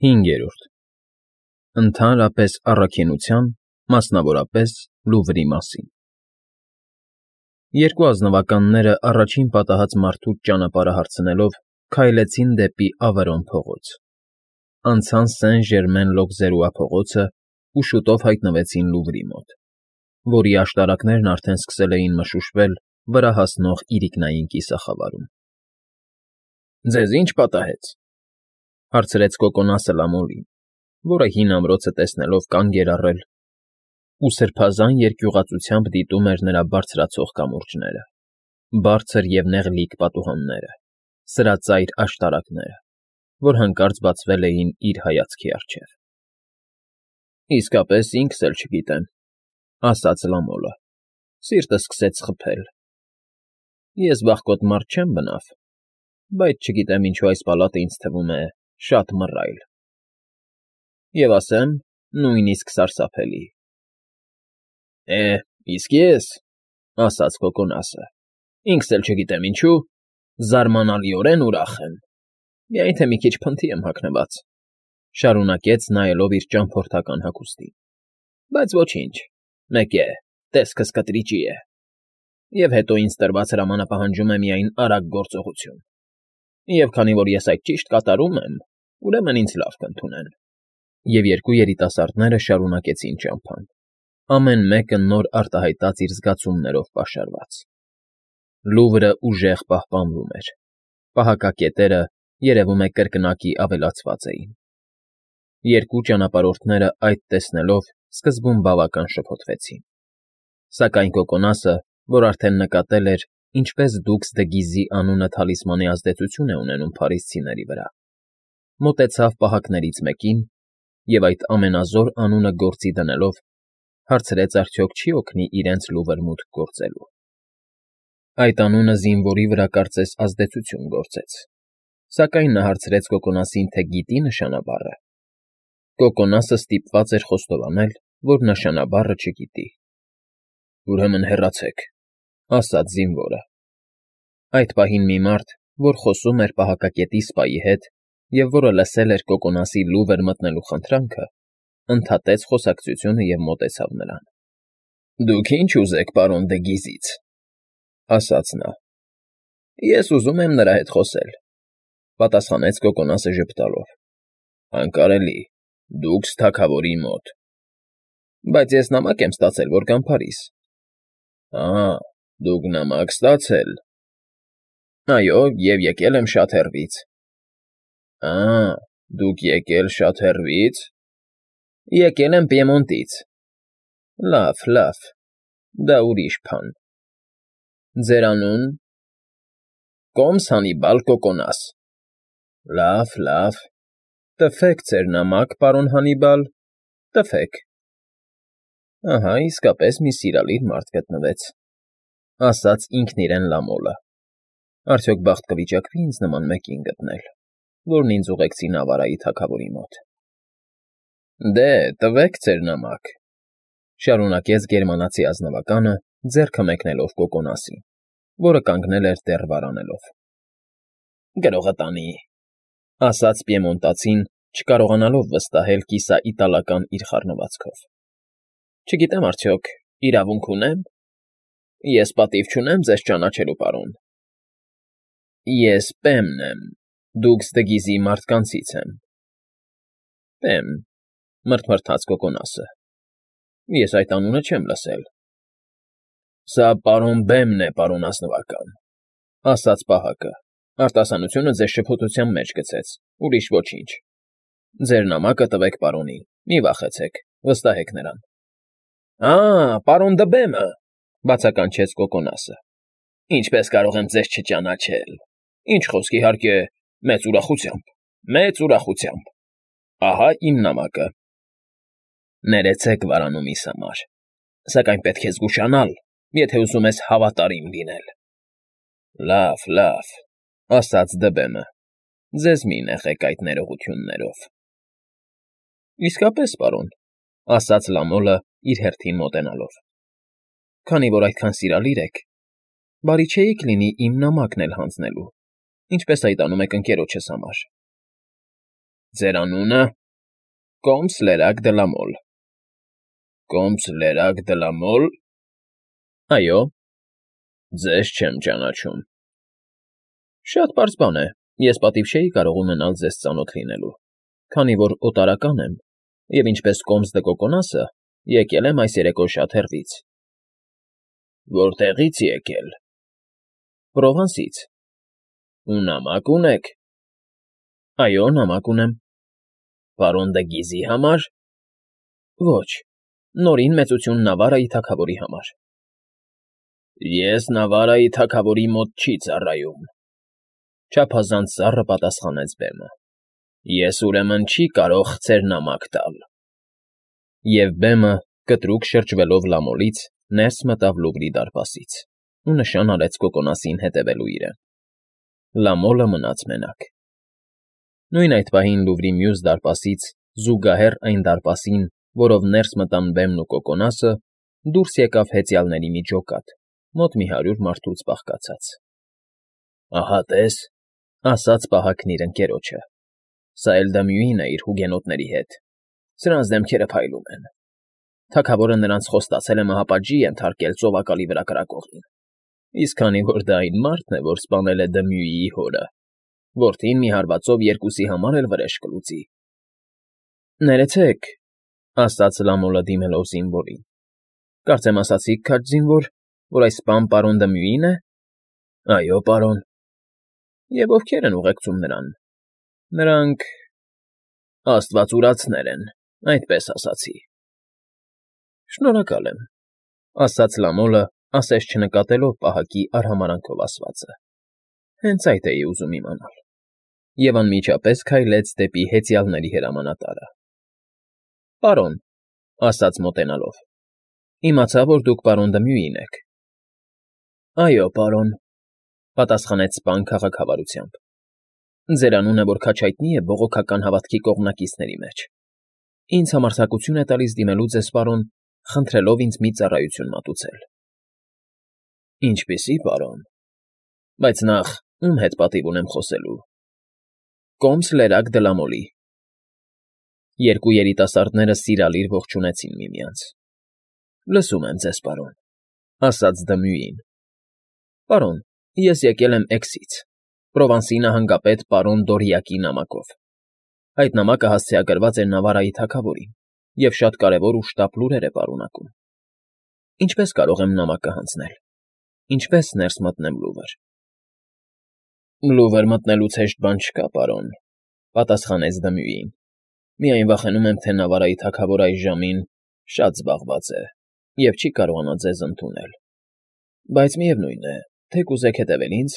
5. Ընդհանրապես առաքինության, մասնավորապես Լուվրի մասին։ Երկու ազնվականները առաջին պատահած մարդուց ճանապարհը հարցնելով քայլեցին դեպի Ավերոն փողոց, անցան Սեն֊Ժերմեն֊Լոկզերուա փողոցը ու շուտով հայտնվեցին Լուվրի մոտ, որի աշտարակներն արդեն սկսել էին մշուշվել վրա հասնող իրիկնային կիսախավարում։ ֊ Ձեզ ի՞նչ պատահեց,֊ հարցրեց Կոկոնասը Լամոլին, որը հին ամրոցը տեսնելով կանգ էր առել ու սրբազան երկյուղածությամբ դիտում էր նրա բարձրացող կամուրջները, բարձր և նեղլիկ պատուհանները, սրածայր աշտարակները, որ հանկարծ բացվել էին իր հայացքի առջև։ ֊ Իսկապես ինքս էլ չգիտեմ,֊ ասաց Լամոլը, սիրտս սկսեց խփել։ Ես վախկոտ մարդ չեմ բնավ, բայց չգիտեմ ինչու այս պալատը ինձ թվում է շատ մռայլ, և ասեմ, նույնիսկ սարսափելի։ ֊ Իսկ ես,֊ ասաց Կոկոնասը,֊ ինքս էլ չգիտեմ ինչու, զարմանալիորեն ուրախ եմ, միայն թե մի քիչ փնթի եմ հագնված,֊ շարունակեց նայելով իր ճամփորդական հագուստին,֊ բայց ոչինչ, մեկ է, տեսքս կտրիճի է, և հետո ինձ տրված հրամանը պահանջում է միայն արագ գործողություն, և քանի որ ես այդ ճիշտ կատարում եմ, ուրեմն ինձ լավ կընդունեն։ Եվ երկու երիտասարդները շարունակեցին ճամփան, ամեն մեկը նոր արտահայտած իր զգացումներով պաշարված։ Լուվրը ուժեղ պահպանվում էր, պահակակետերը, երևում է, կրկնակի ավելացված էին։ Երկու ճանապարհորդները այդ տեսնելով սկզբում բավական շփոթվեցին, սակայն Կոկոնասը, որ արդեն նկատել էր, ինչպես դուքս դը Գիզի անունը թալիսմանի ազդեցություն է ունենում փարիսցիների վրա, մոտեցավ պահակներից մեկին և այդ ամենազոր անունը գործի դնելով, հարցրեց արդյոք չի՞ օգնի իրենց Լուվր մուտք գործելու։ Այդ անունը զինվորի վրա կարծես ազդեցություն գործեց, սակայն նա հարցրեց Կոկոնասին, թե գիտի՞ նշանաբառը։ Կոկոնասը ստիպված էր խոստովանել, որ նշանաբառը չգիտի։ ֊ Ուրեմն հեռացեք,֊ ասաց զինվորը։ Այդ պահին մի մարդ, որ խոսում էր պահակակետի սպայի հետ և որը լսել էր Կոկոնասի Լուվր մտնելու խնդրանքը, ընդհատեց խոսակցությունը և մոտեցավ նրան։ ֊ Դուք ի՞նչ ուզեք պարոն դը Գիզից,֊ ասաց նա։ ֊ Ես ուզում եմ նրա հետ խոսել,֊ պատասխանեց Կոկոնասը ժպտալով։ ֊ Անկարելի, դուքս թագավորի մոտ։ ֊ Բայց ես նամակ եմ ստացել, որ գամ Փարիզ։ ֊ Դուք նամակ ստացել։ ֊ Այո, և եկել եմ շատ հեռվից։ ֊ Դուք եկել շատ հեռվի՞ց։ ֊ Եկել եմ Պիեմոնտից։ ֊ Լավ, դա ուրիշ բան։ ֊ Ձեր անուն։ ֊ Կոմս Հանիբալ Կոկոնաս։ ֊ Լավ, տվեք ձեր նամակ, պարոն Հանիբալ, տվեք։ ֊ Ահա իսկապես մի սիրալիր մարդ գտնվեց,֊ ասաց ինքն իրեն Լամոլը։ Արդյոք բախտ կվիճակվի՞ ինձ նման մեկին գտնել, որն ինձ ուղեկցի Նավարայի թագավորի մոտ։ ֊ Դե, տվեք ձեր նամակ,֊ շարունակեց գերմանացի ազնվականը, ձեռքը մեկնելով Կոկոնասին, որը կանգնել էր դեռ վարանելով։ ֊ Գրողը տանի,֊ ասաց պիեմոնտացին, չկարողանալով վստահել կիսաիտալական իր խառնվածքով։ ֊ Չգիտեմ արդյոք իրավունք ունե՞մ։ Ես պատիվ չունեմ ձեզ ճանաչելու, պարոն։ ֊ Ես Պեմն եմ, դուքս դը Գիզի մարդկանցից եմ։ ֊ Պեմ,֊ մռթմռթաց Կոկոնասը,֊ ես այդ անունը չեմ լսել։ ֊ Սա պարոն Բեմն է, պարոն ազնվական,֊ ասաց պահակը, արտասանությունը ձեզ շփոթության մեջ գցեց, ուրիշ ոչինչ։ Ձեր նամակը տվեք պարոնին, մի վախեցեք, վստահեք նրան։ ֊ Պարոն դը Բեմը,֊ բացականչեց Կոկոնասը,֊ ինչպես կարող եմ ձեզ չճանաչել։ Ինչ խոսք, իհարկե, մեծ ուրախությամբ։ Ահա իմ նամակը։ Ներեցեք վարանումիս համար, սակայն պետք է զգուշանալ, եթե ուզում ես հավատարիմ լինել։ ֊ Լավ,֊ ասաց Դբեմը,֊ ձեզ մի նեղեք այդ ներողություններով։ ֊ Իսկապես, պարոն,֊ ասաց Լամոլը իր հերթին մոտենալով,֊ քանի որ այդքան սիրալիր եք, բարի չէիք լինի իմ նամակն էլ հանձնելու, ինչպես այդ անում եք ընկերոջս համար։ Ձեր անունը։ Կոմս Լերակ Դլամոլ։ Կոմս Լերակ Դլամոլ։ Այո։ Ձեզ չեմ ճանաչում։ Շատ պարզ բան է, ես պատիվ չէի կարող ունենալ ձեզ ծանոթ լինելու, քանի որ օտարական եմ, և ինչպես Կոմս դը Կոկոնասը, եկել եմ այս երեկո շատ հեռվից։ Որտեղի՞ց եկել։ Պրովանսից։ Ու նամակ ունեք։ Այո, նամակ ունեմ։ Պարոն դը Գիզի համար։ Ոչ, նորին մեծություն Նավարայի թագավորի համար։ Ես Նավարայի թագավորի մոտ չի ծառայում։ Չափազանց սառը պատասխանեց բեմը։ Ես ուրեմն չի կարող ձեր նամակ տալ։ Եվ բեմը, կտրուկ շրջվելով Լամոլից, ներս մտավ Լուվրի դարպասից ու նշան արեց Կոկոնասին հետևելու իրեն։ Լամոլը մնաց մենակ։ Նույն այդ պահին Լուվրի մյուս դարպասից, զուգահեռ այն դարպասին, որով ներս մտան բեմն ու Կոկոնասը, դուրս եկավ հեծյալների մի ջոկատ, մոտ մի 100 մարդուց բաղկացած։ Ահա տես, ասաց պահակն իր ընկերոջը, սա էլ Դմյուին է իր հուգենոտների հետ, սրանց դեմքերը փայլում են։ Թագավորը նրանց խոստացել է մահապատժի ենթարկել ծովակալի վրա կրակողին, իսկ քանի որ դա այն մարդն է, որ սպանել է Դմյուիի հորը, որդին մի հարվածով երկուսի համար էլ վրեժ կլուծի։ Ներեցեք, ասաց Լամոլը դիմելով զինվորին։ Կարծեմ ասացիք, քաջ զինվոր, որ այս սպան պարոն Դմյուին է։ Այո, պարոն։ Եվ ովքեր են ուղեկցում նրան։ Նրանք աստվածուրացներ են, այդպես ասացի։ Շնորհակալ եմ, ասաց Լամոլը, ասես չնկատելով պահակի արհամարանքով ասվածը։ Հենց այդ էի ուզում իմանալ։ Եվ անմիջապես քայլեց դեպի հեծյալների հրամանատարը։ Պարոն, ասաց մոտենալով, իմացա, որ դուք պարոն Դմյուին եք։ Այո, պարոն, պատասխանեց սպան քաղաքավարությամբ։ Ձեր անունը որ քաջ հայտնի է բողոքական հավատքի կողմնակիցների մեջ։ Ինձ համարձակություն է տալիս դիմելու ձեզ, պարոն, խնդրելով ինձ մի ծառայություն մատուցել։ Ինչպիսի, պարոն։ Բայց նախ ում հետ պատիվ ունեմ խոսելու։ Կոմս Լերակ Դլամոլի։ Երկու երիտասարդները սիրալիր ողջունեցին միմյանց։ Լսում եմ ձեզ, պարոն, ասաց Դմյուին։ Պարոն, ես եկել եմ Էքսից, Պրովանսի նահանգապետ պարոն Դորիակի նամակով։ Այդ նամակը հասցեագրված էր Նավարայի թագավորին և շատ կարևոր ու շտապ լուրեր է պարունակում։ Ինչպես կարող եմ նամակը հանձնել։ Ինչպես ներս մտնեմ Լուվր։ Լուվր մտնելուց հեշտ բան չկա, պարոն, պատասխանեց Դմյուին։ Միայն վախենում եմ, թե Նավարայի թագավորը այս ժամին շատ զբաղված է և չի կարողանա ձեզ ընդունել։ Բայց միևնույն է, թե կուզեք հետևել ինձ,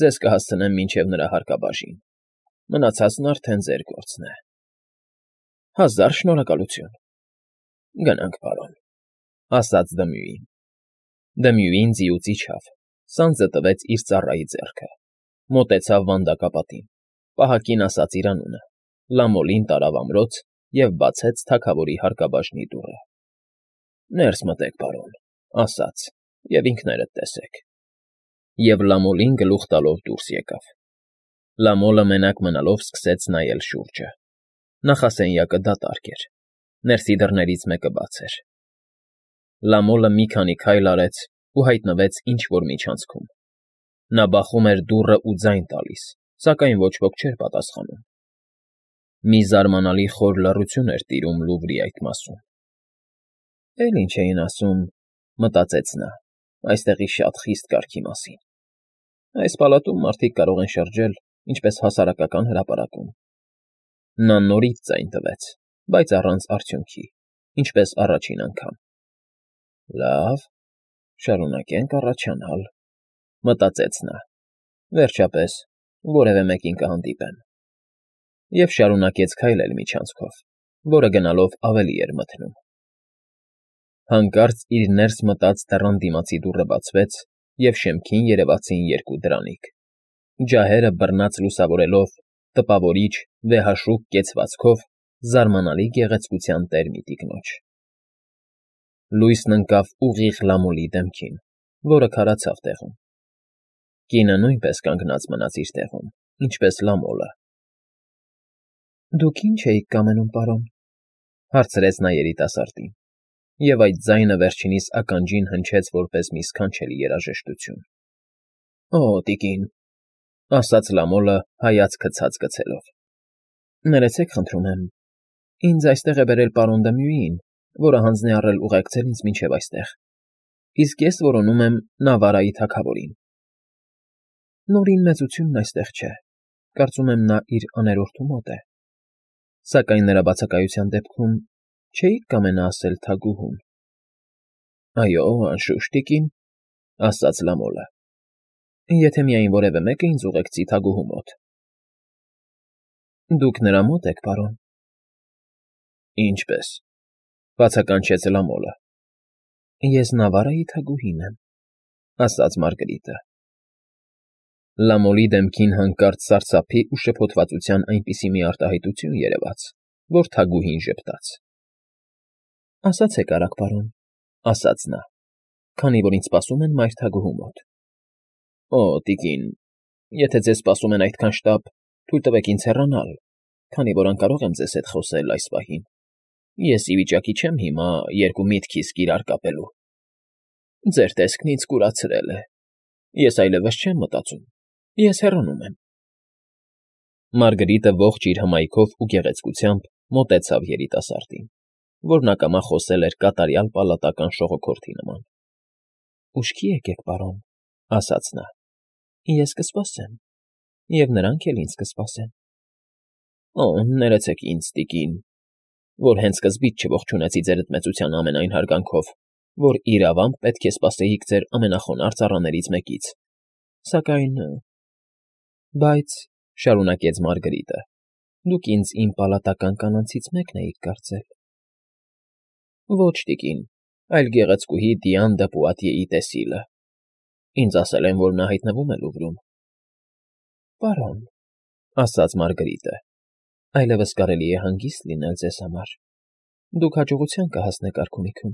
ձեզ կհասցնեմ մինչև նրա հարկաբաժին։ Մնացածն արդեն ձեր գործն է։ Հազար շնորհակալություն։ Գնանք, պարոն, ասաց Դմյուին։ Դմյուին ձիուց իջավ, սանձը տվեց իր ծառայի ձեռքը, մոտեցավ վանդակապատին, պահակին ասաց իր անունը, Լամոլին տարավ ամրոց և բացեց թագավորի հարկաբաժնի դուռը։ Ներս մտեք, պարոն, ասաց, և ինքներդ տեսեք։ Եվ Լամոլին գլուխ տալով դուրս եկավ։ Լամոլը մենակ մնալով սկսեց նայել շուրջը։ Նախասենյակը դատարկ էր, ներսի դռներից մեկը բաց էր։ Լամոլը մի քանի քայլ արեց ու հայտնվեց ինչ-որ միջանցքում։ Նա բախում էր դուռը ու ձայն տալիս, սակայն ոչ ոք չէր պատասխանում։ Մի զարմանալի խոր լռություն էր տիրում Լուվրի այդ մասում։ Էլ ինչ էին ասում, մտածեց նա, այստեղի շատ խիստ կարգի մասին։ Այս պալատում մարդիկ կարող են շրջել, ինչպես հասարակական հրապարակում։ Նա նորից ձայն տվեց, բայց առանց արդյունքի, ինչպես առաջին անգամ։ Լավ, շարունակենք առաջանալ, մտածեց նա։ Վերջապես, որևէ մեկին կհանդիպեմ։ Եվ շարունակեց քայլել միջանցքով, որը գնալով ավելի էր մթնում։ Հանկարծ իր ներս մտած դռան դիմացի դուռը բացվեց, և շեմքին երևացին երկու դրանիկ։ Ջահերը բռնած լուսավորելով, տպավորիչ, վեհաշուկ կեցվածքով, զարմանալի գեղեցկության տեր մի տիկնոջ։ Լույսն ընկավ ուղիղ Լամոլի դեմքին, որը քարացավ տեղում։ Կինը նույնպես կանգնած մնաց իր տեղում, ինչպես Լամոլը։ Դուք ինչ էիք կամենում, պարոն,֊ հարցրեց նա երիտասարդին, և այդ ձայնը վերջինիս ականջին հնչեց որպես մի սքանչելի երաժշտություն։ ֊ Օ, տիկին,֊ ասաց Լամոլը հայացքը ցած գցելով,֊ ներեցեք, խնդրում եմ, ինձ այստեղ է բերել պարոն Դմյուին, որը հանձն է առել ուղեկցել ինձ մինչև այստեղ, իսկ ես որոնում եմ Նավարայի թագավորին։ Նորին մեծությունն այստեղ չէ, կարծում եմ նա իր աներորդու մոտ է, սակայն նրա բացակայության դեպքում չէիք կամենա ասել թագուհուն։ ֊ Այո, անշուշտ, տիկին,֊ ասաց Լամոլը, եթե միայն որևէ մեկը ինձ ուղեկցի թագուհու մոտ։ ֊ Դուք նրա մոտ եք, պարոն։ ֊ Ինչպե՞ս,֊ բացականչեց Լամոլը։ ֊ Ես Նավարայի թագուհին եմ,֊ ասաց Մարգրիտը։ Լամոլի դեմքին հանկարծ սարսափի ու շփոթվածության այնպիսի մի արտահայտություն երևաց, որ թագուհին ժպտաց։ ֊ Ասացեք արագ, պարոն,֊ ասաց նա, քանի որ ինձ սպասում են մայր թագուհու մոտ։ ֊ Օ, տիկին, եթե ձեզ սպասում են այդքան շտապ, թույլ տվեք ինձ հեռանալ, քանի որ անկարող եմ ձեզ հետ խոսել այս պահին։ Ես ի վիճակի չեմ հիմա երկու միտք իսկ իրար կապելու։ Ձեր տեսքն ինձ կուրացրել է։ Ես այլևս չեմ մտածում։ Ես հեռանում եմ։ Մարգրիտը ողջ իր հմայքով ու գեղեցկությամբ մոտեցավ երիտասարդին, որն ակամա խոսել էր կատարյալ պալատական շողոքորթի նման։ ֊ Ուշքի եկեք, պարոն,֊ ասաց նա, ես կսպասեմ, և նրանք էլ ինձ կսպասեն։ ֊ Օ, ներեցեք ինձ, տիկին, որ հենց սկզբից չողջունեցի ձերդ մեծության ամենայն հարգանքով, որ իրավամբ պետք է սպասեիք ձեր ամենախոնարհ ծառաներից մեկից, սակայն… Բայց,֊ շարունակեց Մարգրիտը,֊ դուք ինձ իմ պալատական կանանցից մեկն էիք կարծել։ ֊ Ոչ, տիկին, այլ գեղեցկուհի Դիան դը Պուատիեի տեսիլը։ Ինձ ասել են, որ նա հայտնվում է Լուվրում։ ֊ Պարոն,֊ ասաց Մարգրիտը,֊ այլևս կարելի է հանգիստ լինել ձեզ համար։ Դուք հաջողության կհասնեք արքունիքում։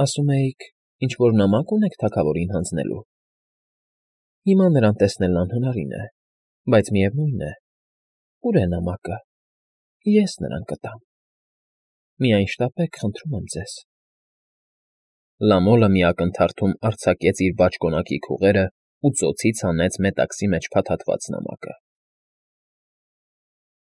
Ասում էիք, ինչ֊որ նամակ ունեք թագավորին հանձնելու։ Հիմա նրան տեսնելն անհնարին է, բայց միևնույն է, ուր է նամակը, ես նրան կտամ։ Միայն շտապեք, խնդրում եմ ձեզ։ Լամոլը մի ակնթարթում արձակեց իր բաճկոնակի քուղերն ու ծոցից հանեց մետաքսի մեջ փաթաթված նամակը։